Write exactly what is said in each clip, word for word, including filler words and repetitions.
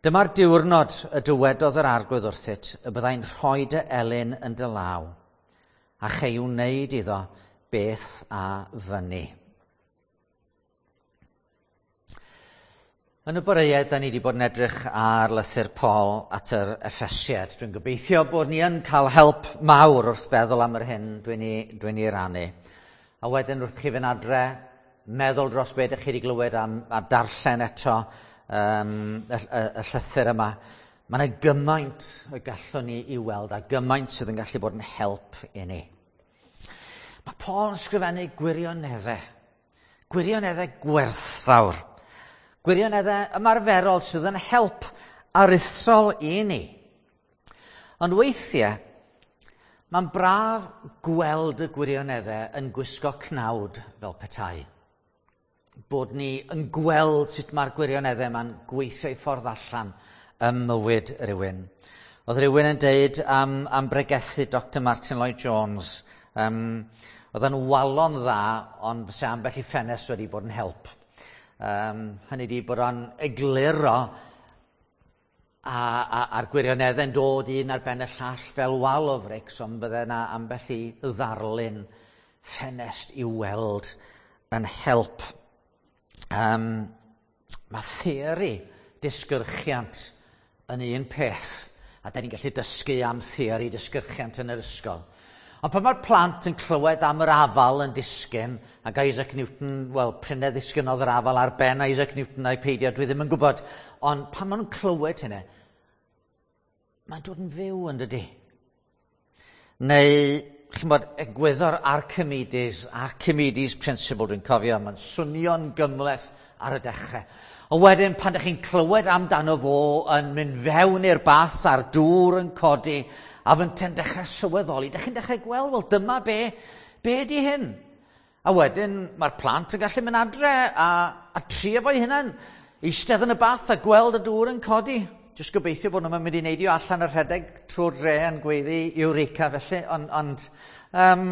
Dyma'r diwrnod y dywedodd yr Arglwydd wrthyt y byddai'n rhoi dy elyn yn dy law, a chei wneud iddo beth a fynni. Yn y boreau, da ni wedi bod yn edrych ar lythyr Paul at yr Effesiaid. Dwi'n gobeithio bod ni yn cael help mawr wrth feddwl am yr hyn dwi'n ei, dwi'n ei rannu. A wedyn wrth chi fynd adre, meddwl dros beth ydych chi wedi glywed am, a darllen eto um, y, y, y llythyr yma. Mae yna gymaint y gallwn ni i weld a gymaint sydd yn gallu bod yn help i ni. Mae Paul yn sgrifennu gwirioneddau, gwirioneddau gwerthfawr, gwirioneddau ymarferol sydd yn help aruthrol i ni. Ond weithiau, mae'n braf gweld y gwirioneddau yn gwisgo cnawd fel petai. Bod ni yn gweld sut mae'r gwirioneddau yma'n gweithio i ffordd allan ym mywyd rhywun. Oedd rhywun yn deud am, am bregethu Doctor Martin Lloyd-Jones. Um, oedd yn walon dda, ond fysa ambell i ffenest wedi bod yn help. Um, hynny di bod o'n egluro a, a, a'r gwirioneddau'n dod un ar ben y llall fel wal o frics, ond bydde yna ambell i ddarlun ffenest i'w weld yn help. Um, mae theori disgyrchiant yn un peth, a da ni'n gallu dysgu am theori disgyrchiant yn yr ysgol. Ond pan mae'r plant yn clywed am yr afal yn disgyn, ac Isaac Newton, wel, prynau ddisgynodd yr afal ar ben Isaac Newton a'i peidio, dwi ddim yn gwybod. Ond pan maen nhw'n clywed hynny, mae'n dod yn fyw yn dydi. Neu, chi'n bod, egwyddor Archimedes, Archimedes Principle, dwi'n cofio, mae'n swnio'n gymhleth ar y dechrau. Ond wedyn, pan ydych chi'n clywed amdano fo yn mynd fewn i'r bath a'r dŵr yn codi, a fynte'n dechrau sylweddoli, dych chi'n dechrau gweld, wel dyma be, be ydi hyn? A wedyn mae'r plant yn gallu mynd adre a, a trio fo'i hunan, eistedd yn y bath a gweld y dŵr yn codi. Jyst gobeithio bod nhw'n mynd i neidio allan y rhedeg trwy'r dre yn gweiddi Eureka felly, ond, ond um,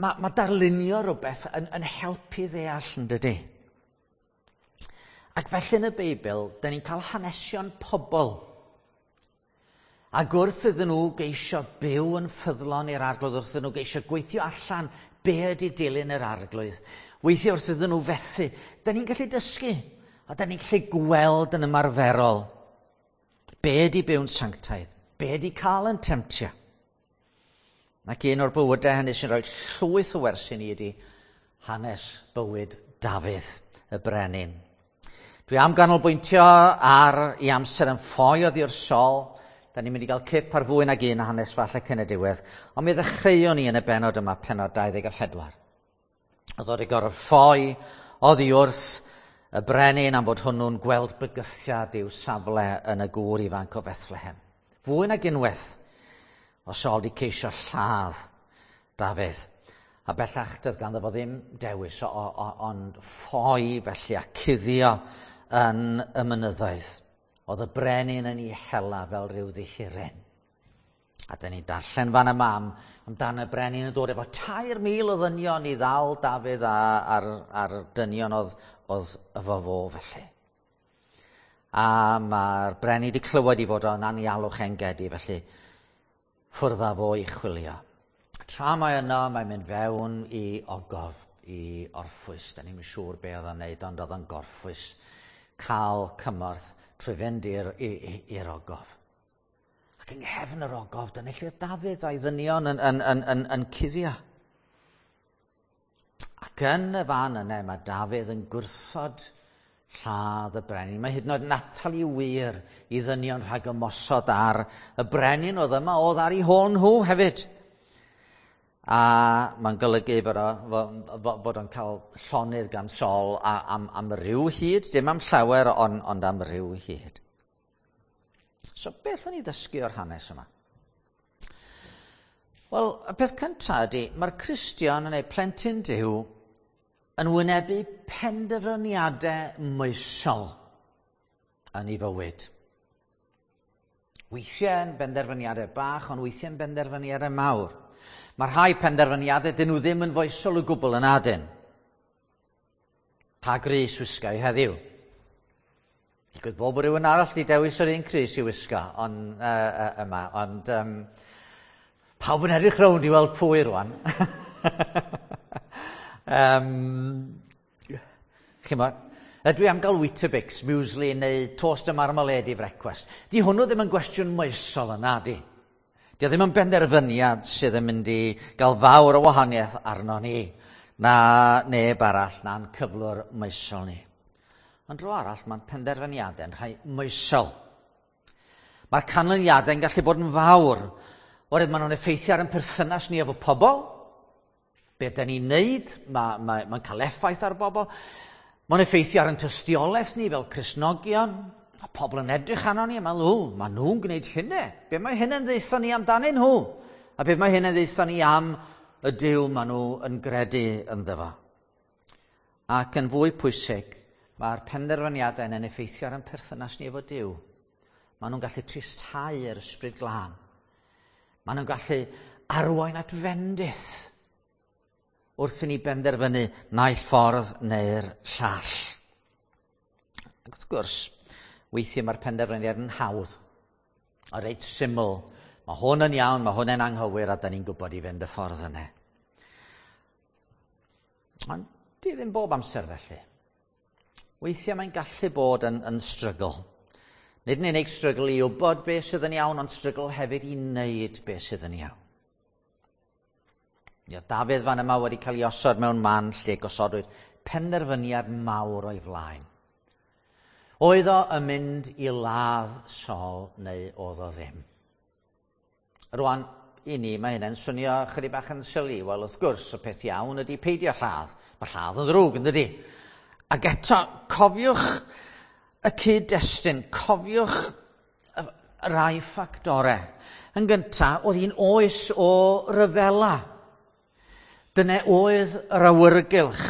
mae, mae darlunio rhywbeth yn, yn helpu ddeall yn dydi. Ac felly yn y Beibl, da ni'n cael hanesion pobl. Ac wrth iddyn nhw geisio byw yn ffyddlon i'r Arglwydd, wrth iddyn nhw geisio gweithio allan be ydy dilyn yr Arglwydd, weithiau wrth iddyn nhw fethu, da ni'n gallu dysgu, a da ni'n gallu gweld yn ymarferol be ydy byw'n sanctaidd, be ydy cael yn temtio. Ac un o'r bywydau hynny sy'n rhoi llwyth o wersi ni ydy hanes bywyd Dafydd, y brenin. Dwi am ganolbwyntio ar ei amser yn ffoi oddi wrth Saul. Da ni'n mynd i gael cip ar fwy nag un hanes falle cyn y diwedd. Ond mi ddechreuon ni yn y bennod yma, pennod dau ddeg a phedwar. Oedd o wedi gorfod ffoi oddi wrth y brenin am fod hwnnw'n gweld bygythiad i'w safle yn y gŵr ifanc o Bethlehem. Fwy nag unwaith o Saul wedi ceisio lladd Dafydd. A bellach doedd ganddo fo ddim dewis o, o, ond ffoi felly a cuddio yn y mynyddoedd. Oedd y brenin yn ei hela fel rhyw ddihiryn. A dyn ni'n darllen fan yma am, amdan y brenin yn dod efo tair mil o ddynion i ddal Dafydd a, a'r, a'r dynion oedd, oedd efo fo felly. A mae'r brenin wedi clywed i fod o'n anialwch Engedi, felly ffwrdd â fo i chwilio. Tra mae yno, mae'n mynd fewn i ogof, i orffwys. Da ni'n siŵr be oedd o'n neud, ond oedd o'n gorffwys cael cymorth trwy fynd i'r, i'r ogof. Ac yng nghefn yr ogof, dyna lle Dafydd a'i ddynion yn, yn, yn, yn, yn cuddio. Ac yn y fan yna, mae Dafydd yn gwrthod lladd y brenin. Mae hyd yn oed yn atal ei wir i ddynion rhag ymosod ar y brenin oedd yma, oedd ar ei hôl nhw hefyd. A mae'n golygu bod, o, bod o'n cael llonydd gan Saul am, am ryw hyd, dim am llawer, ond, ond am ryw hyd. So beth o'n i ddysgu o'r hanes yma? Wel, y peth cyntaf ydy, mae'r Cristion neu plentyn Duw yn wynebu penderfyniadau moesol yn ei fywyd. Weithiau yn benderfyniadau bach, ond weithiau yn benderfyniadau mawr. Mae rhai penderfyniadau dyn nhw ddim yn foesol o gwbl yn adyn. Pa grys wisgau heddiw? Digwydd bod bod rhywun arall wedi dewis yr un crys i wisgo on, uh, uh, yma, ond um, pawb yn edrych rownd i weld pwy rwan. um, Chimod, ydw i am gael Weetabix, muesli neu toast a marmalade i frecwast? Di hwnnw ddim yn gwestiwn moesol yna, di. Di o ddim yn benderfyniad sydd yn mynd i gael fawr o wahaniaeth arno ni, na neb arall, na'n cyflwr moesol ni. Ond dro arall, mae'n penderfyniadau'n rhai moesol. Mae'r canlyniadau'n gallu bod yn fawr, oherwydd maen nhw'n effeithio ar ein perthynas ni efo pobl. Be da ni'n neud, mae'n ma, ma cael effaith ar bobl. Mae'n effeithio ar ein tystiolaeth ni fel Cristnogion. Mae pobl yn edrych arno ni a meddwl, ww, maen nhw'n gwneud hynny. Be mae hynny'n ddeutho ni amdanyn nhw? A be mae hynny'n ddeutho ni am y Duw maen nhw yn gredu ynddo fo? Ac yn fwy pwysig, mae'r penderfyniadau yn effeithio ar ein perthynas ni efo Duw. Maen nhw'n gallu tristhau yr Ysbryd Glân. Maen nhw'n gallu arwain at fendith wrth i ni benderfynu naill ffordd neu'r llall. Ac wrth gwrs, weithiau mae'r penderfyniad yn hawdd, a reit syml. Mae hwn yn iawn, mae hwn yn anghywir, a da ni'n gwybod i fynd y ffordd yna. Ond di ddim bob amser felly. Weithiau mae'n gallu bod yn, yn strygl. Nid yn unig strygl i wybod beth sydd yn iawn, ond strygl hefyd i wneud beth sydd yn iawn. Ia, Dafydd fan yma wedi cael ei osod mewn man lle gosodwyd penderfyniad mawr o'i flaen. Oedd o yn mynd i ladd Saul neu oedd o ddim? Rwan, i ni, mae hynny'n swnio chydig bach yn silly. Wel, wrth gwrs, y peth iawn ydy peidio lladd. Mae lladd yn ddrwg, yn dydi? Ac eto, cofiwch y cyd-destun, cofiwch rai ffactorau. Yn gyntaf, oedd hi'n oes o ryfela. Dyna oedd yr awyrgylch.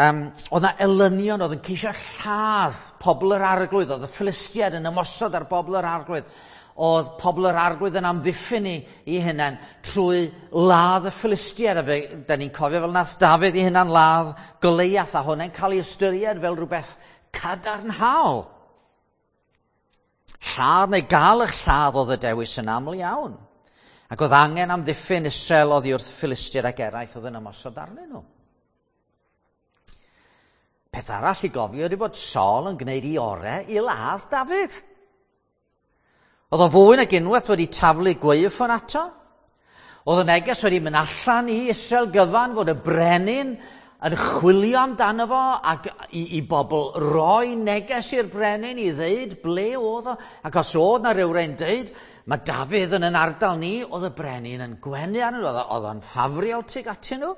Um, oedd na elynion oedd yn ceisio lladd pobl yr arglwydd. Oedd y Philistiaid yn ymosod ar bobl yr arglwydd. Oedd pobl yr arglwydd yn amddiffyn i, i hunain trwy ladd y Philistiaid. A fe, da ni'n cofio fel nath Dafydd i hunan ladd Goliath, a hwnna'n cael ei ystyried fel rhywbeth cadarnhaol. Lladd neu gael eich lladd oedd y dewis yn aml iawn. Ac oedd angen amddiffyn Israel oddi wrth Philistiaid ac eraill oedd yn ymosod arnyn nhw. Peth arall i gofio ydy bod Saul yn gwneud ei orau i ladd Dafydd. Oedd o fwy nag unwaith wedi taflu gwaywffon ato. Oedd y neges wedi mynd allan i Israel gyfan fod y brenin yn chwilio amdano fo ac i, i bobl roi neges i'r brenin i ddeud ble oedd o. Ac os oedd na rhywun dweud, mae Dafydd yn yn ardal ni, oedd y brenin yn gwenu arnyn nhw, oedd o'n ffafriol tuag atyn nhw.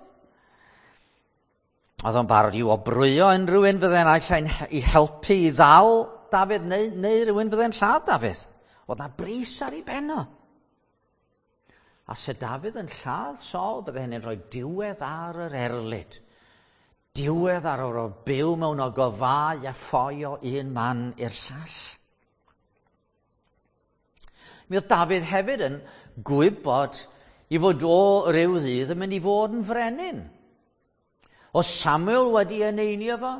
Oedd o'n barod i wobrwyo unrhyw un fydde'n allan i helpu i ddal Dafydd neu, neu rhywun fydde'n lladd Dafydd. Oedd na bris ar ei ben o. A se Dafydd yn lladd Saul, bydde hynny'n rhoi diwedd ar yr erlid. Diwedd ar o'r byw mewn ogofau a ffoi o un man i'r llall. Mi oedd Dafydd hefyd yn gwybod i fod o ryw ddydd yn mynd i fod yn frenin. O Samuel wedi eneinio fo,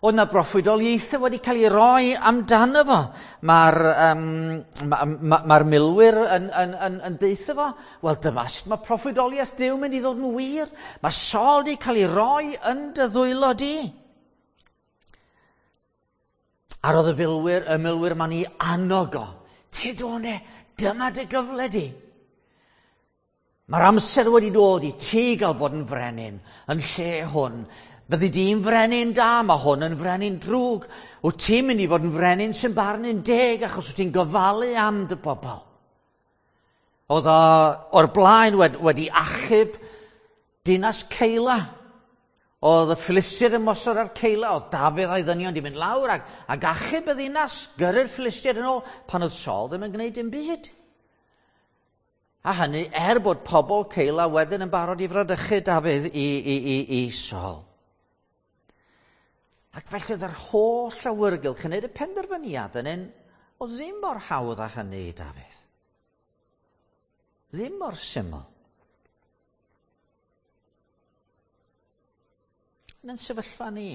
oedd na broffwydoliaethau wedi cael ei roi amdano fo. Mae'r um, ma, ma, ma milwyr yn, yn, yn, yn deutha fo, wel dyma sut mae proffwydoliaeth Duw mynd i ddod yn wir. Mae Saul wedi cael ei roi yn dy ddwylo di. A roedd y filwyr, y milwyr ma'n ei annog o. Tyd o ne, dyma dy gyfle di. Mae'r amser wedi dod i ti gael bod yn frenin yn lle hwn. Fyddi di'n frenin da, mae hwn yn frenin drwg. Wyt ti'n mynd i fod yn frenin sy'n barnu'n deg achos wyt ti'n gofalu am dy bobl. Oedd o o'r blaen wedi, wedi achub dinas Ceila. Oedd y Philistiaid yn ymosod ar Ceila, oedd Dafydd a'i ddynion di mynd lawr ac, ac achub y ddinas, gyrru'r Philistiaid yn ôl, pan oedd Saul ddim yn gwneud dim byd. A hynny er bod pobl Ceila wedyn yn barod i fradychu Dafydd i, i, i, i Saul. Ac felly oedd yr holl awyrgylch yn gwneud y penderfyniad yn un oedd ddim mor hawdd â hynny i Dafydd. Ddim mor syml. Yn ein sefyllfa ni,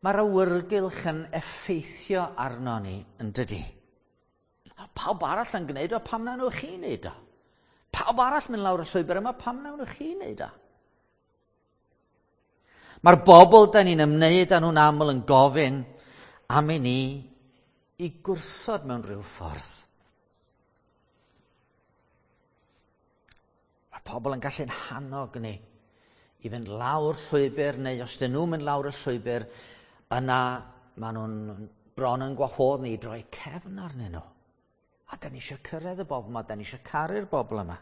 Mae'r awyrgylch yn effeithio arno ni, yn dydy. Pawb arall yn gwneud o, pam na nhw chi wneud o? Pawb arall mynd lawr y llwybr yma, pam na nhw chi wneud o? Mae'r bobl da ni'n ymwneud â nhw'n aml yn gofyn am i ni i gwrthod mewn rhyw ffordd. Mae pobl yn gallu'n hannog ni i fynd lawr llwybr, neu os dyn nhw'n mynd lawr y llwybr, yna maen nhw'n bron yn gwahodd ni i droi cefn arnyn nhw. A da ni eisiau cyrraedd y bobl yma, da ni eisiau caru'r bobl yma.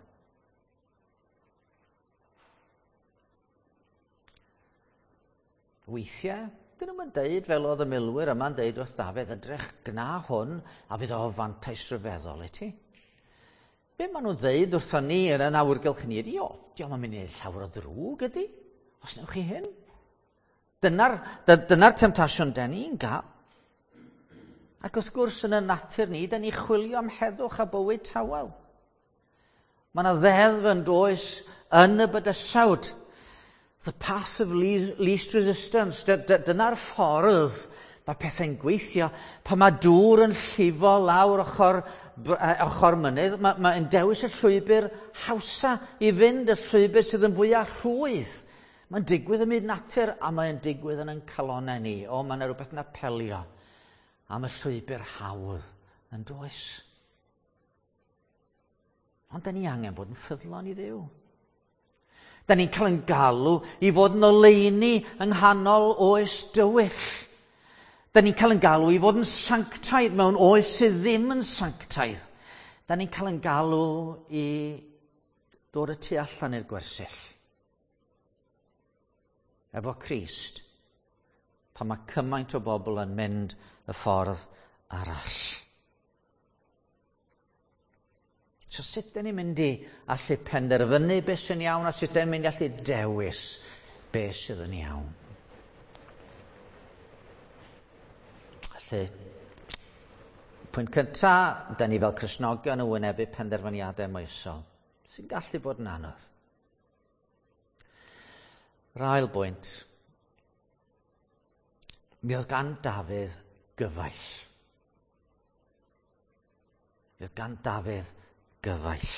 Weithiau, dyn nhw'n deud fel oedd y milwyr yma'n deud wrth Dafydd, edrych gna hwn a fydd o fantais rhyfeddol i ti. Be maen nhw'n ddeud wrthon ni yn yn awyrgylch ni ydi, o, diolch yn mynd i wneud llawer o ddrwg ydi, os newch chi hyn. Dyna'r dyna temtasiwn den ni'n gael. Ac wrth gwrs yn y natur ni, den ni chwilio am heddwch a bywyd tawel. Mae yna ddeddf yn does yn y bydysawd. The path of least resistance. Dyna'r ffordd mae pethau'n gweithio. Pan mae dŵr yn llifo lawr ochr, ochr mynydd, mae'n mae dewis y llwybr hawsa i fynd, y llwybr sydd yn fwyaf rhwydd. Mae'n digwydd ym myd natur a mae'n digwydd yn ein calonnau ni. O, mae yna rhywbeth yn apelio am y llwybr hawdd yn does. Ond da ni angen bod yn ffyddlon i Dduw. Da ni'n cael yn galw i fod yn oleuni yng nghanol oes dywyll. Da ni'n cael yn galw i fod yn sanctaidd mewn oes sydd ddim yn sanctaidd. Da ni'n cael yn galw i ddod y tu allan i'r gwersyll. Efo Crist, pan mae cymaint o bobl yn mynd y ffordd arall. So sut dyn ni'n mynd i allu penderfynu beth sy'n iawn a sut dyn ni'n mynd i allu dewis beth sydd yn iawn? Felly, pwynt cyntaf, dyn ni fel Cristnogion yn wynebu penderfyniadau moesol, sy'n gallu bod yn anodd. Yr ail bwynt, mi oedd gan Dafydd gyfaill. Mi oedd gan Dafydd gyfaill.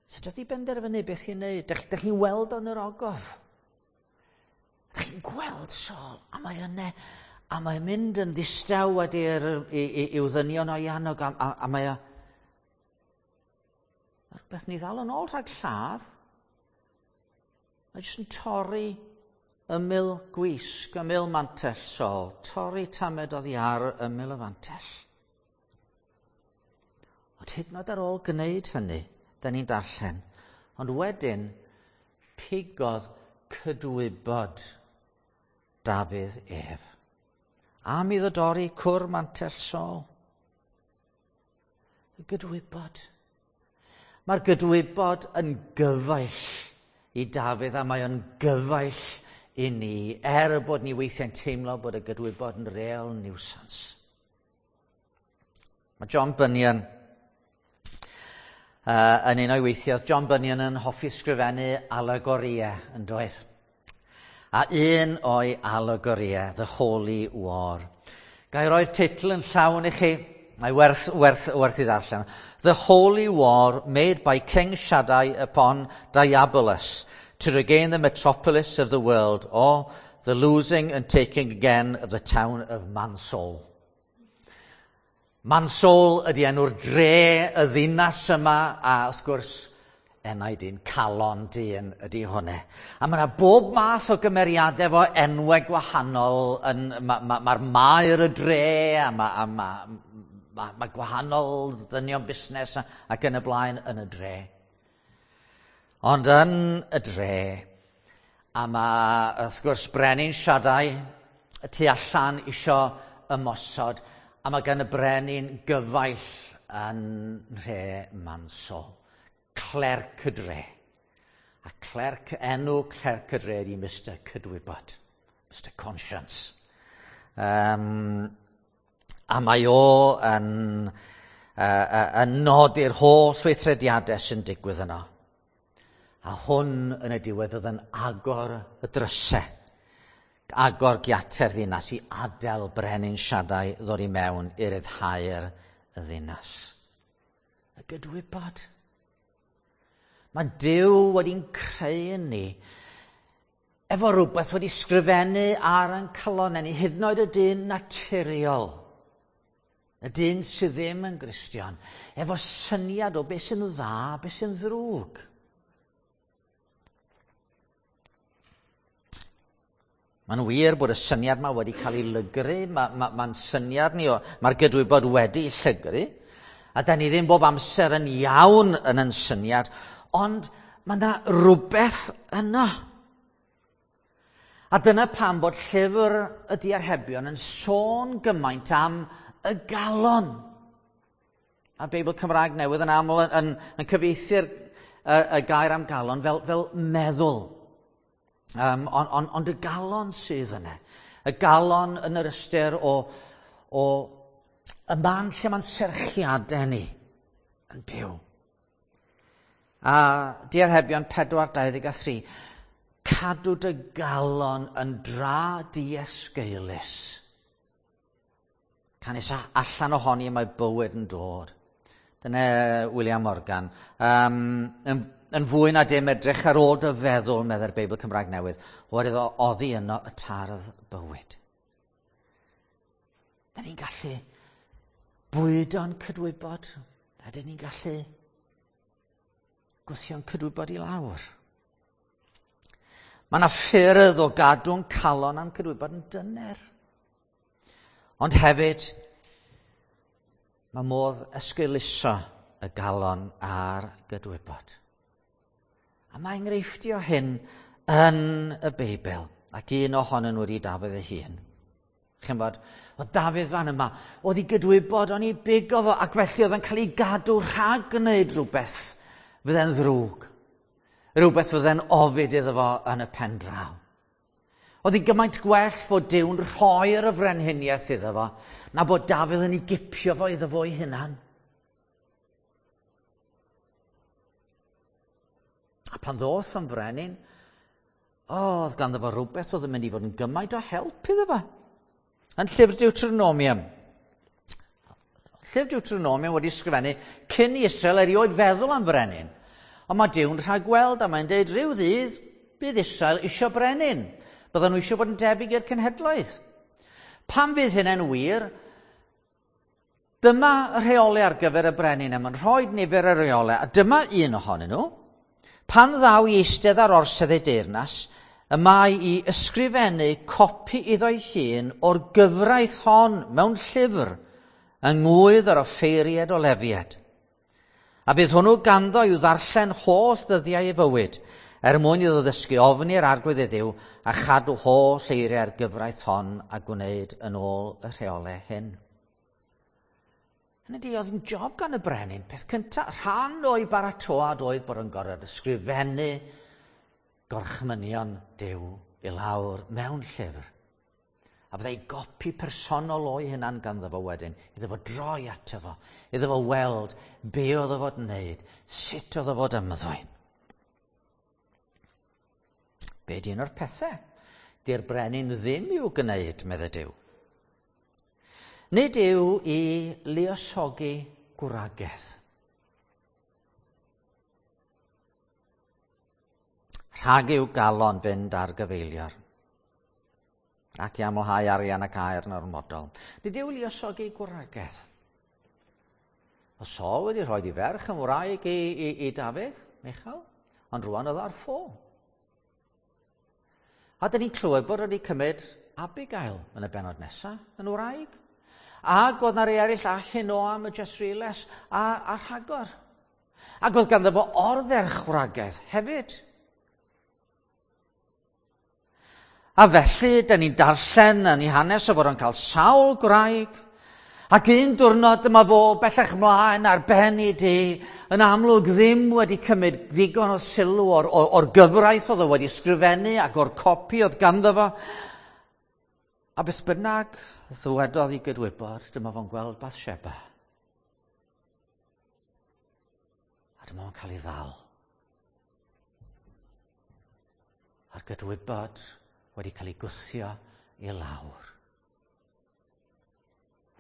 Sut oedd i benderfynu beth i'n neud? Dych, dych chi'n weld o'n yr ogof. Dych chi'n gweld Saul, a mae yna, a mae'n mynd yn ddistaw wedi'r i'w ddynion o'i annog, a, a, a mae o... Rhywbeth ni ddal yn ôl rhag lladd. Mae jyst yn torri ymyl gwisg, ymyl mantell Saul, torri tamed oddi ar ymyl y fantell. Ond hyd yn oed ar ôl gwneud hynny, da ni'n darllen. Ond wedyn, pigodd cydwybod Dafydd ef. Am iddo dorri cwr mantell Saul. Y gydwybod. Mae'r gydwybod yn gyfaill i Dafydd a mae o'n gyfaill i ni, er bod ni weithiau'n teimlo bod y gydwybod yn real nuisance. Mae John Bunyan Uh, yn un o'i weithiau, John Bunyan yn hoffi sgrifennu alegoriau yn doedd. A un o'i alegoriau, The Holy War. Ga i roi'r teitl yn llawn i chi, mae werth, werth, werth i ddarllen. The Holy War made by King Shaddai upon Diabolus to regain the metropolis of the world, or the losing and taking again of the town of Mansoul. Mansoul ydy enw'r dre, y ddinas yma, a wrth gwrs, enau dyn, calon dyn ydy hwnna. A mae yna bob math o gymeriadau efo enwau gwahanol. Mae'r ma, ma maer y dre, a mae ma, ma, ma, ma gwahanol ddynion busnes ac yn y blaen yn y dre. Ond yn y dre, a mae, wrth gwrs, Brenin Shaddai y tu allan isio ymosod, a mae gan y brenin gyfaill yn nhre Mansoul, clerc y dre. A clerc, enw clerc y dre ydi Mister Cydwybod, Mister Conscience. Um, a mae o yn, uh, yn nodi'r holl weithrediadau sy'n digwydd yno. A hwn yn y diwedd oedd yn agor y drysau agor giatau'r ddinas i adael brenin Siadau ddod i mewn i ryddhau'r ddinas. Y gydwybod. Mae Duw wedi'n creu ni efo rhywbeth wedi sgrifennu ar ein calonnau ni, hyd yn oed y dyn naturiol, y dyn sydd ddim yn Gristion, efo syniad o beth sy'n dda, beth sy'n ddrwg. Mae'n wir bod y syniad yma wedi cael ei lygru, mae'n ma, ma syniad ni, mae'r gydwybod wedi ei llygru, a da ni ddim bob amser yn iawn yn yn syniad, ond mae yna rhywbeth yno. A dyna pam bod llyfr y diarhebion yn sôn gymaint am y galon. A Beibl Cymraeg Newydd yn aml yn, yn, yn cyfieithu'r y, y gair am galon fel, fel meddwl. Um, ond on, ond y galon sydd yna. Y galon yn yr ystyr o, o y man lle mae'n serchiadau ni yn byw. A diarhebion pedwar dau ddeg a thri. Cadw dy galon yn dra diesgeulus. Canys allan ohoni mae bywyd yn dod. Dyna William Morgan. Um, yn, yn fwy na dim edrych ar ôl dy feddwl, meddai'r Beibl Cymraeg Newydd, oherwydd oddi yno y tardd bywyd. Da ni'n gallu bwydo'n cydwybod, a da ni'n gallu gwthio'n cydwybod i lawr. Mae yna ffyrdd o gadw'n calon a'n cydwybod yn dyner. Ond hefyd, mae modd esgeuluso y galon a'r gydwybod. A mae enghreifftio hyn yn y Beibl, ac un ohonyn nhw wedi Dafydd ei hun. Chi'n bod, oedd Dafydd fan yma, oedd ei gydwybod, o'n ei bigo fo, ac felly oedd yn cael ei gadw rhag gwneud rhywbeth fydde'n ddrwg. Rhywbeth fydde'n ofid iddo fo yn y pen draw. Oedd hi gymaint gwell fod Duw'n rhoi'r y frenhiniaeth iddo fo, na bod Dafydd yn ei gipio fo iddo fo ei hunan. A pan ddoth am frenin, oedd ganddo fo rhywbeth oedd yn mynd i fod yn gymaint o help iddo fo. Yn llyfr Deuteronomium. Llyfr Deuteronomium wedi sgrifennu cyn i Israel erioed feddwl am frenin. Ond mae Duw'n rhagweld a mae'n deud rhyw ddydd bydd Israel isio brenin. Bydden nhw eisiau bod yn debyg i'r cenhedloedd. Pan fydd hynny'n wir, dyma y rheolau ar gyfer y brenin, a mae'n rhoi nifer y rheolau, a dyma un ohonyn nhw. Pan ddaw i eistedd ar orsedd ei deyrnas, y mae i ysgrifennu copi iddo'i hun o'r gyfraith hon mewn llyfr yng ngwydd yr offeiriad o Lefiad. A bydd hwnnw ganddo i'w ddarllen holl ddyddiau ei fywyd, er mwyn iddo ddysgu ofni'r Arglwydd ei Dduw a chadw holl eiriau'r gyfraith hon a gwneud yn ôl y rheolau hyn. Hynny ydi, oedd yn job gan y brenin. Peth cyntaf, rhan o'i baratoad oedd bod yn gorfod ysgrifennu gorchmynion Duw i lawr mewn llyfr. A byddai gopi personol o'i hunan ganddo fo wedyn, iddo fo droi ato fo, iddo fo weld be oedd o fod yn wneud, sut oedd o fod ymddwyn. Be di un o'r pethau? Di'r brenin ddim i'w gwneud, meddai Duw. Nid yw i luosogi gwragedd. Rhag i'w galon fynd ar gyfeilior, ac i amlhau arian ac aer yn ormodol. Nid yw luosogi gwragedd. O Saul wedi rhoi ei ferch yn wraig i, i, i Dafydd, Michal, ond rwan oedd ar ffo. A dyn ni'n clywed bod wedi cymryd Abigail yn y bennod nesaf, yn wraig. Ac oedd na rei eraill, Ahinoam y Jesreeles a, a rhagor. Ac oedd ganddo fo ordderchwragedd hefyd. A felly, dyn ni'n darllen yn ei hanes o fod o'n cael sawl gwraig, ac un diwrnod dyma fo bellach mlaen ar ben ei dŷ, yn amlwg ddim wedi cymryd ddigon o sylw o'r, or, or gyfraith oedd o wedi sgrifennu ac o'r copi oedd ganddo fo. A beth bynnag ddywedodd i gydwybod, dyma fo'n gweld Bathsheba. A dyma fo'n cael ei ddal. A'r gydwybod wedi cael ei gwthio i lawr.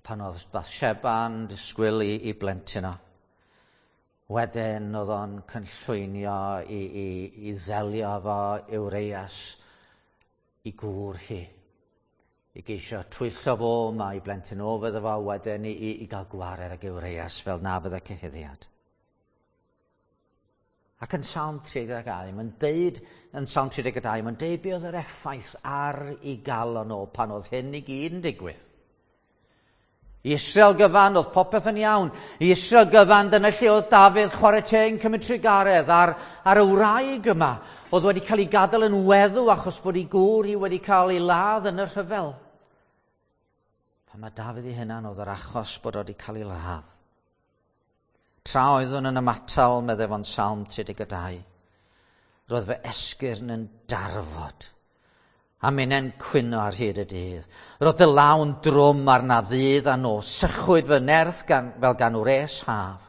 Pan oedd Bathsheba'n disgwyl i, i blentyn o, wedyn oedd o'n cynllwynio i, i, i ddelio efo Urias i gŵr hi. I geisio twyllo fo, mae i blentyn o fydde fo, wedyn i, i, i gael gwared ag Urias fel na fydde cyhuddiad. Ac yn Salm tri deg dau, mae'n deud, yn Salm tri deg dau, mae'n deud be oedd yr effaith ar ei galon o pan oedd hyn i gyd yn digwydd. I Israel gyfan, oedd popeth yn iawn. I Israel gyfan, dyna lle oedd Dafydd chwarae teg yn cymryd trugaredd ar, ar y wraig yma, oedd wedi cael ei gadael yn weddw achos bod ei gŵr hi wedi cael ei ladd yn y rhyfel. Pan mae Dafydd ei hunan oedd yr achos bod wedi cael ei ladd. Tra oeddwn yn ymatal, meddai fo'n Salm tri deg dau, roedd fy esgyrn yn darfod, a minnau'n cwyno ar hyd y dydd. Roedd dy law'n drwm arna ddydd a nos, sychwyd fy nerth gan, fel gan wres haf.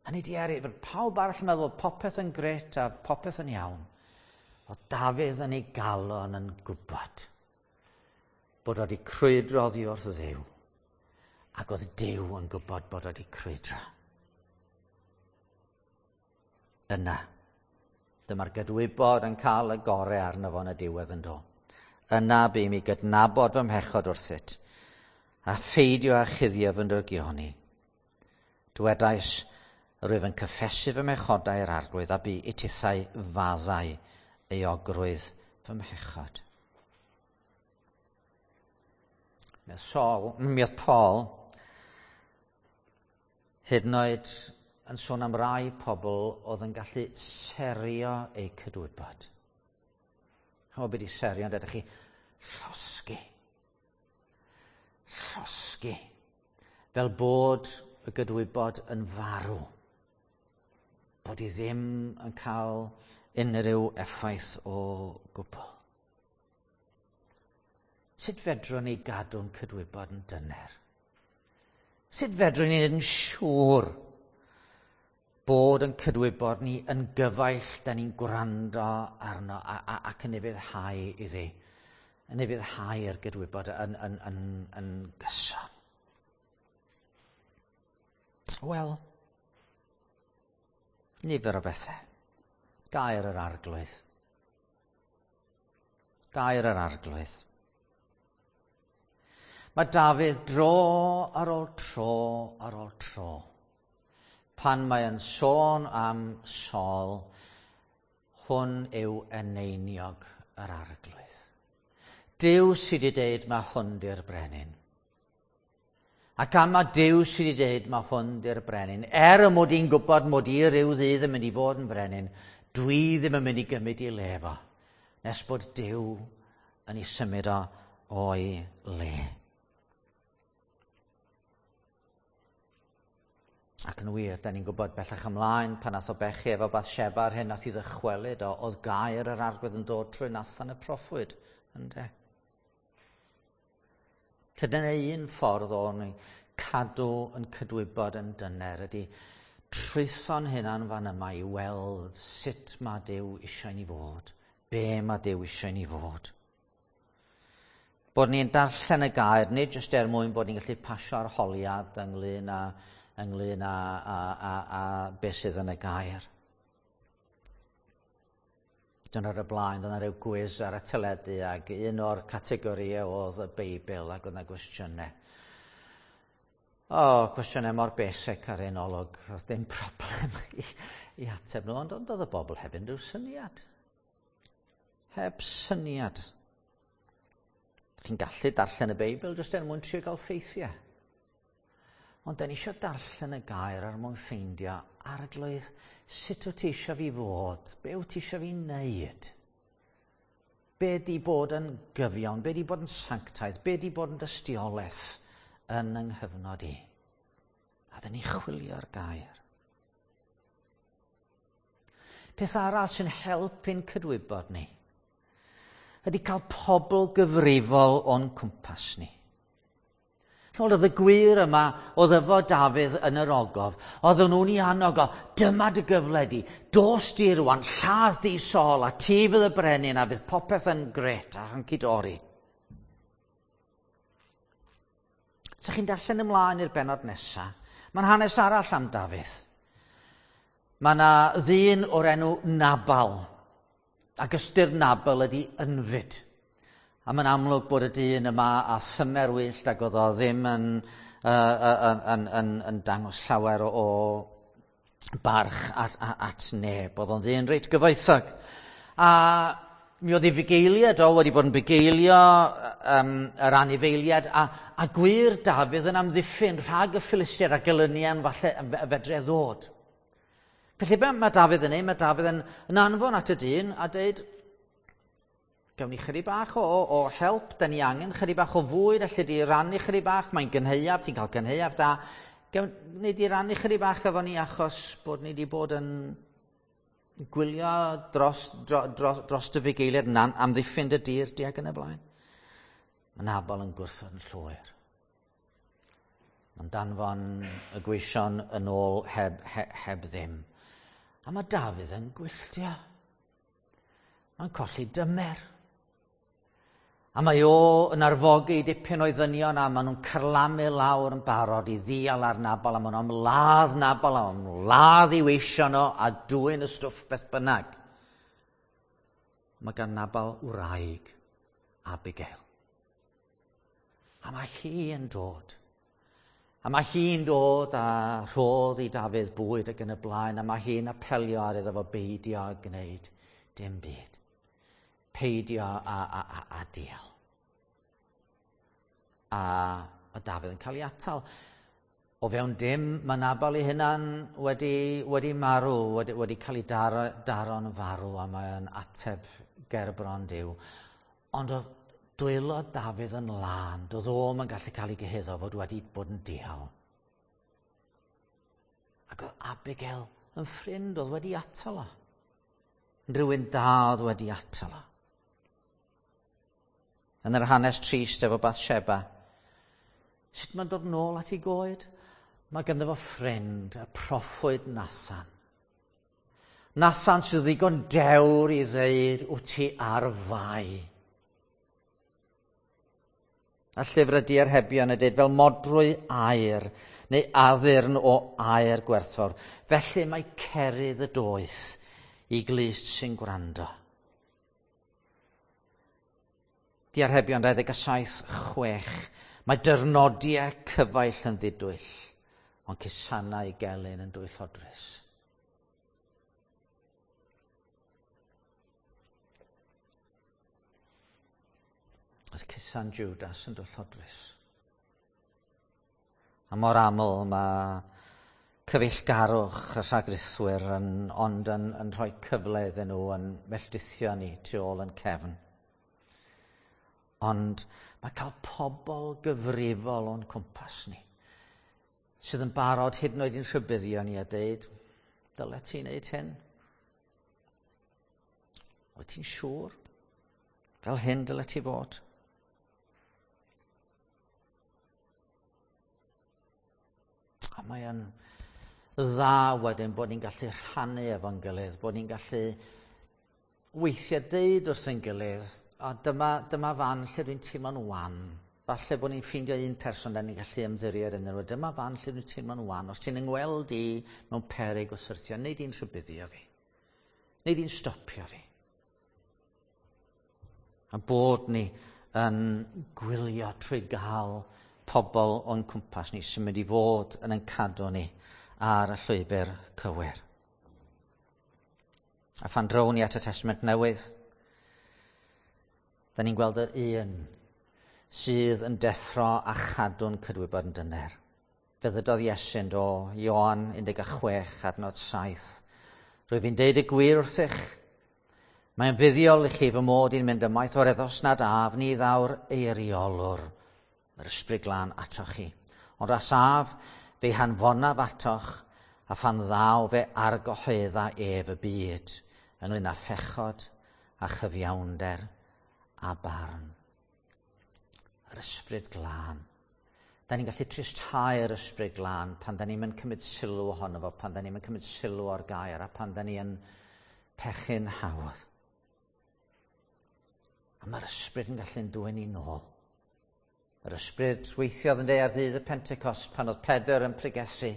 Hynny di eri, bod pawb arall yn meddwl popeth yn gret a popeth yn iawn. Oedd Dafydd yn ei galon yn gwybod bod wedi crwydro oddi wrth Dduw, ac oedd Duw yn gwybod bod wedi crwydro. Yna, dyma'r gydwybod yn cael y gorau arno fo yn y diwedd yn do. Yna bu mi gydnabod fy mhechod wrthyt, a pheidio â chuddio fy ndrygioni. Dwedais, rwyf yn cyffesu fy mhechodau i'r Arglwydd, a bu i tithau faddau euogrwydd fy mhechod. Mi oedd Saul, mi oedd Paul, hyd yn oed yn sôn am rai pobl oedd yn gallu serio eu cydwybod. Chymod beth i serio, ond ydych chi llosgi. Llosgi. Fel bod y gydwybod yn farw. Bod i ddim yn cael unrhyw effaith o gwbl. Sut fedrwn ni gadw'n cydwybod yn dyner? Sut fedrwn ni wneud yn siŵr bod yn cydwybod ni yn gyfaill da ni'n gwrando arno a, a, ac yn ufuddhau iddi, yn ufuddhau i'r gydwybod yn, yn, yn, yn gyson? Wel, nifer o bethau. Gair yr Arglwydd. Gair yr Arglwydd. Mae Dafydd dro ar ôl tro ar ôl tro. Pan mae yn sôn am Saul, hwn yw eneiniog yr Arglwydd. Duw sydd wedi deud mae hwn di'r brenin. Ac am mae Duw sydd wedi deud mae hwn di'r brenin, er y mod i'n gwybod mod i ryw ddydd yn mynd i fod yn brenin, dwi ddim yn mynd i gymryd i le fo, nes bod Duw yn ei symud o o'i le. Ac yn wir, da ni'n gwybod bellach ymlaen pan nath o bechu efo Bathsheba a'r hyn nath i ddychwelyd o, oedd gair yr Arglwydd yn dod trwy Nathan y proffwyd, ynde? Dyna un ffordd o'n cadw yn cydwybod yn dyner ydy trwytho'n hunan fan yma i weld sut mae Duw eisiau ni fod, be mae Duw eisiau ni fod. Bod ni'n darllen y gair, nid jyst er mwyn bod ni'n gallu pasio arholiad ynglyn â ynglyn â, â, â, â beth sydd yn y gair. Dyna'r y blaen, dyna rhyw gwiz ar y teledu ac un o'r categorïau oedd y Beibl ac oedd yna gwestiynau. O, oh, cwestiynau mor basic ar un olwg, oedd dim problem i, i ateb nhw, ond ond oedd y bobl heb unrhyw syniad. Heb syniad. Chi'n gallu darllen y Beibl jyst er mwyn trio gael ffeithiau. Ond da ni eisiau darllen y gair ar mwyn ffeindio, Arglwydd, sut wyt ti eisiau fi fod? Be wyt ti eisiau fi wneud? Be di bod yn gyfiawn? Be di bod yn sanctaidd? Be di bod yn dystiolaeth yn yng nghyfnod i? A da ni chwilio'r gair. Peth arall sy'n helpu'n cydwybod ni ydy cael pobl gyfrifol o'n cwmpas ni. Chimod, oedd y gwir yma oedd efo Dafydd yn yr ogof. Oedden nhw'n ei annog o, dyma dy gyfle di, dos di rwan, lladd di Saul, a ti fydd y brenin, a fydd popeth yn gret a hunky-dory. Sa chi'n darllen ymlaen i'r bennod nesaf, mae'n hanes arall am Dafydd. Mae yna ddyn o'r enw Nabal, ac ystyr Nabal ydy ynfyd. A mae'n amlwg bod y dyn yma a thymer wyllt ac oedd o ddim yn, uh, yn, yn, yn, yn dangos llawer o, o barch at, at, at neb. Oedd o'n ddyn reit gyfoethog. A mi oedd ei fugeiliad o wedi bod yn bugeilio um, yr anifeiliad a, a gwir Dafydd yn amddiffyn rhag y Philistiaid a gelynion falle fedre ddod. Felly be mae Dafydd yn ei? Mae Dafydd yn, yn anfon at y dyn a dweud, gawn ni chydig bach o, o help, da ni angen chydig bach o fwyd, allu di rannu chydig bach, mae'n gynhaeaf, ti'n cael gynhaeaf da. Gawn ni di rannu chydig bach efo ni achos bod ni di bod yn gwylio dros, dros, dros, dros dy fugeiliad yn amddiffyn dy dir di ac yn y blaen. Mae Nabal yn gwrthod yn llwyr. Mae'n danfon y gweision yn ôl heb, heb, heb ddim. A mae Dafydd yn gwylltio. Mae'n colli dymer. A mae o yn arfogi dipyn o'i ddynion a maen nhw'n carlamu lawr yn barod i ddial ar Nabal a maen nhw'n ymladd Nabal a maen nhw'n ladd i weision o a dwyn y stwff beth bynnag. Mae gan Nabal wraig Abigail. A mae hi yn dod. A mae hi'n dod a rhodd i Dafydd bwyd ac yn y blaen, a mae hi'n apelio ar iddo fo beidio a gwneud dim byd. Peidio a, a, a, a dial. A mae Dafydd yn cael ei atal. O fewn dim, mae Nabal ei hunan wedi, wedi marw, wedi, wedi cael ei daro, daro'n farw, a mae'n ateb gerbron Duw. Ond oedd dwylo Dafydd yn lân, doedd o'm yn gallu cael ei gyhuddo fod wedi bod yn dial. Ac oedd Abigail yn ffrind oedd wedi atal o. Rhywun da oedd wedi atal o. Yn yr hanes trist efo Bathsheba, sut mae'n dod nôl at ei goed? Mae ganddo fo ffrind, y proffwyd Nathan. Nathan sydd ddigon dewr i ddeud, wyt ti ar fai. A llyfr y diarhebion yn dweud fel modrwy aur neu addurn o aur gwerthfawr. Felly mae cerydd y doeth i glust sy'n gwrando. Diarhebion dau ddeg saith chwech. Mae dyrnodiau cyfaill yn ddidwyll, ond cusanau gelyn yn dwyllodrus. Oedd cusan Judas yn dwyllodrus. A mor aml mae cyfeillgarwch y rhagrithwyr yn, ond yn, yn rhoi cyfle iddyn nhw yn melltithio ni tu ôl yn cefn. Ond mae cael pobl gyfrifol o'n cwmpas ni, sydd yn barod hyd yn oed i'n rhybuddio ni a deud, dyle ti wneud hyn? Wyt ti'n siŵr? Fel hyn dyle ti fod? A mae yn dda wedyn bod ni'n gallu rhannu efo'n gilydd, bod ni'n gallu weithiau deud wrth ein gilydd, a dyma, dyma fan lle dwi'n teimlo'n wan. Falle bod ni'n ffeindio un person da ni'n gallu ymddiried ynddyn nhw. Dyma fan lle dwi'n teimlo'n wan. Os ti'n yngweld i mewn peryg o syrthio, neu di'n rhybuddio fi. Neu di'n stopio fi. A bod ni yn gwylio trwy gael pobl o'n cwmpas ni sy'n mynd i fod yn ein cadw ni ar y llwybr cywir. A phan drown ni at y Testament Newydd, da ni'n gweld yr un sydd yn deffro a chadw'n cydwybod yn dyner. Fe ddydodd Iesu'n do, Ioan un deg chwech adnod saith. Rwyf fi'n deud y gwir wrthych, mae'n fuddiol i chi fy mod i'n mynd ymaith o'r eddos nad af ni ddaw'r eiriolwr, yr ysbryd glân atoch chi. Ond as af, fe hanfonaf atoch, a phan ddaw fe argyhoedda ef y byd, ynglyn â phechod a chyfiawnder a barn. Yr ysbryd glân. Da ni'n gallu tristhau'r Ysbryd Glân pan da ni'n cymryd sylw ohono fo, pan da ni'n cymryd sylw o'r gair a pan da ni yn pechu'n hawdd. A mae'r Ysbryd yn gallu'n dwyn ni nôl. Yr Ysbryd weithiodd yn ar ddydd y Pentecost pan oedd Pedr yn pregethu.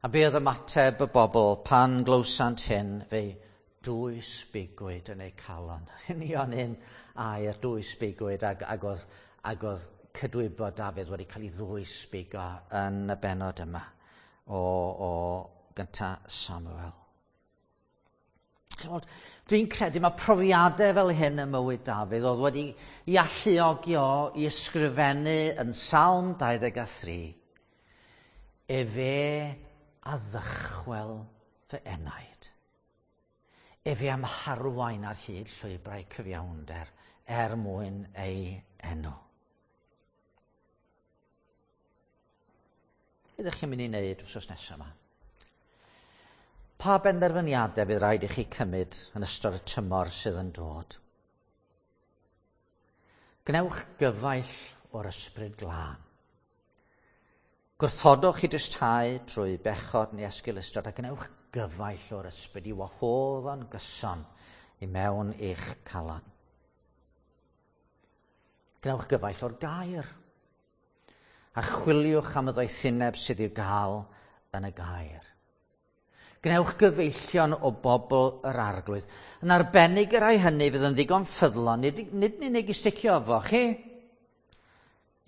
A be oedd ymateb y bobl pan glywsant hyn, fe dwys bigwyd yn eu calon. Union un air dwys bigwyd ag, ag oedd, ag oedd cydwybod Dafydd wedi cael ei ddwys bigo yn y bennod yma o, o gynta Samuel. Dwi'n credu mae profiadau fel hyn ym mywyd Dafydd oedd wedi ei alluogi o i ysgrifennu yn Salm dau ddeg a thri. Efe a ddychwel fy enaid. Efe am harwain ar hyd llwybrau cyfiawnder er mwyn ei enw. Be ydych chi'n mynd i wneud wsos nesaf yma? Pa benderfyniadau bydd rhaid i chi cymryd yn ystod y tymor sydd yn dod? Gwnewch gyfaill o'r Ysbryd Glân. Gwrthodwch i dristhau trwy bechod neu esgeulustod a gwnewch gyfaill o'r Ysbryd i wahodd o'n gyson i mewn i'ch calon. Gwnewch gyfaill o'r gair. A chwiliwch am y ddoethineb sydd i'w gael yn y gair. Gwnewch gyfeillion o bobl yr Arglwydd. Yn arbennig y rhai hynny fydd yn ddigon ffyddlon, nid, nid yn unig i sticio efo chi,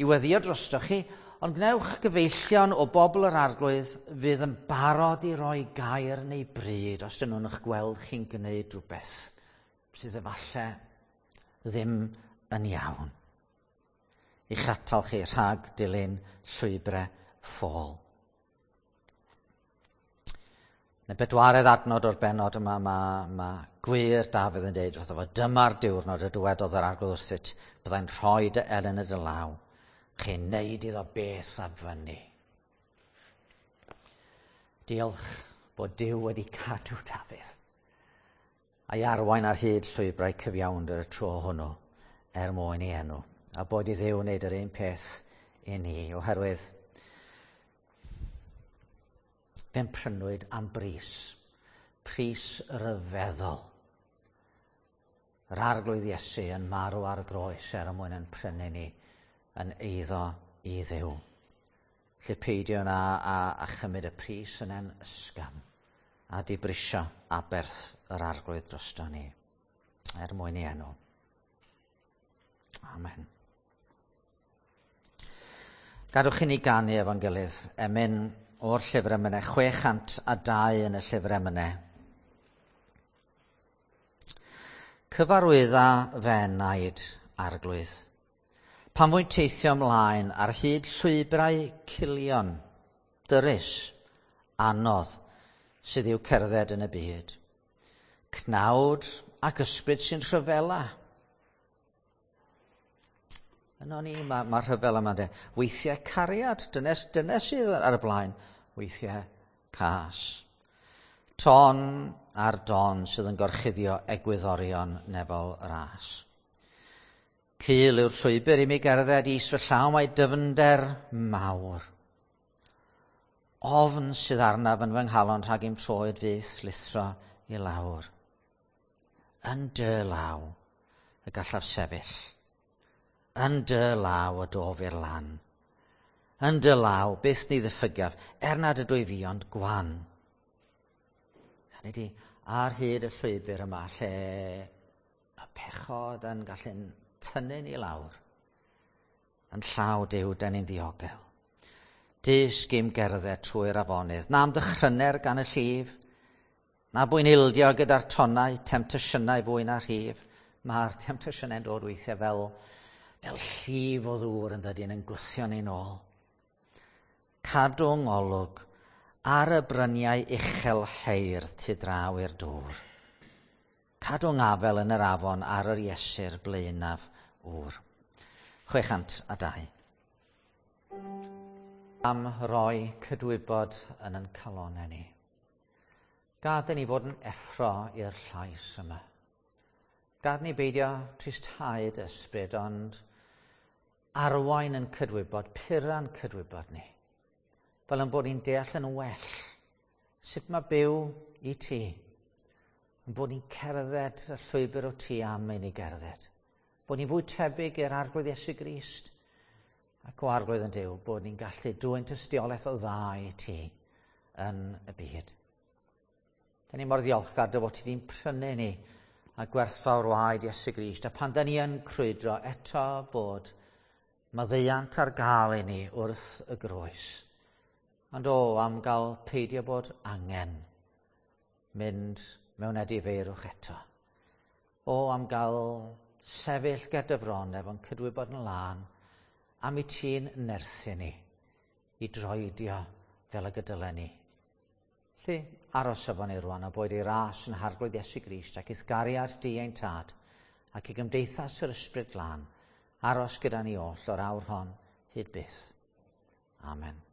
i weddio drostoch chi, ond gwnewch gyfeillion o bobl yr Arglwydd fydd yn barod i roi gair neu bryd os dyn nhw'n eich gweld chi'n gwneud rhywbeth sydd efallai ddim yn iawn. I'ch atal chi rhag dilyn llwybrau ffôl. Yn y bedwaredd adnod o'r bennod yma, mae, mae gwir Dafydd yn dweud wrtho fo, dyma'r diwrnod y dywedodd yr Arglwydd wrthyt, byddai'n rhoi dy elyn y dy law, chi'n neud iddo beth a fyny. Diolch bod Duw wedi cadw Dafydd a'i arwain ar hyd llwybrau cyfiawnder y tro hwnnw er mwyn ei enw. A bod i Dduw wneud yr un peth i ni, oherwydd fe'n prynwyd am bris, pris ryfeddol. Yr Arglwydd Iesu yn marw ar y groes er mwyn yn prynu ni yn eiddo i Dduw. Lle peidio na a, a chymryd y pris yna'n ysgafn a dibrisio aberth yr Arglwydd drosto ni, er mwyn ei enw. Amen. Gadwch i ni ganu efo'n gilydd, emyn o'r llyfr emynau, chwe chant a dau yn y llyfr emynau. Cyfarwydda fy enaid, Arglwydd, pan fwy'n teithio ymlaen ar hyd llwybrau culion, dyrys, anodd, sydd i'w cerdded yn y byd. Cnawd ac ysbryd sy'n rhyfela. Yno ni, mae ma rhyfel yma de. Weithiau cariad, dyna, dyna sydd ar y blaen. Weithiau cas. Ton ar don sydd yn gorchuddio egwyddorion nefol ras. Cul yw'r llwybr i mi gerdded is fy llaw mae dyfnder mawr. Ofn sydd arnaf yn fy nghalon rhag i'm troed fyth lithro i lawr. Yn dy law y gallaf sefyll. Yn dy law y dof i'r lan. Yn dy law, byth ni ddiffygaf, er nad ydw i fi ond gwan. Hynny ydi, ar hyd y llwybr yma, lle y pechod yn gallu'n tynnu ni lawr, yn llaw Duw, dan ni'n ddiogel. Dysg i'm gerdded trwy'r afonydd, na am ddychryner gan y llif, na bwy'n ildio gyda'r tonnau, temtasiynau fwy na rhif. Mae'r temtasiynau'n dod weithiau fel fel llif o ddŵr yn dydyn yn gwthio ni'n ôl. Cadw ngolwg ar y bryniau uchel heirdd tu draw i'r dŵr. Cadw ngafel yn yr afon ar yr Iesu'r blaenaf ŵr. chwe chant a dau. Am roi cydwybod yn ein calonnau ni. Gad i ni fod yn effro i'r llais yma. Gad ni beidio tristhau dy ysbryd, ond Arwain yn cydwybod, pura'n cydwybod ni, fel yn bod ni'n deall yn well sut mae byw i ti, yn bod ni'n cerdded y llwybr o ti am i ni gerdded. Bod ni'n fwy tebyg i'r Arglwydd Iesu Grist ac o Arglwydd yn Duw, bod ni'n gallu dwyn tystiolaeth o dda i ti yn y byd. Da ni mor ddiolchgar dy fod ti wedi'n prynu ni a gwerthfawr waed Iesu Grist, a pan da ni yn crwydro eto bod maddeuant ar gael i ni wrth y groes. Ond o, am gael peidio bod angen mynd mewn edifeirwch eto. O, am gael sefyll ger dy fron efo'n cydwybod yn lân, am i ti'n nerthu ni i droedio fel y gydylen ni. Felly, aros efo ni rwan a boed i ras yn Harglwydd Iesu Grist ac i'th gariad di ein tad ac i gymdeithas yr Ysbryd Glân, aros gyda ni oll o'r awr hon hyd byth. Amen.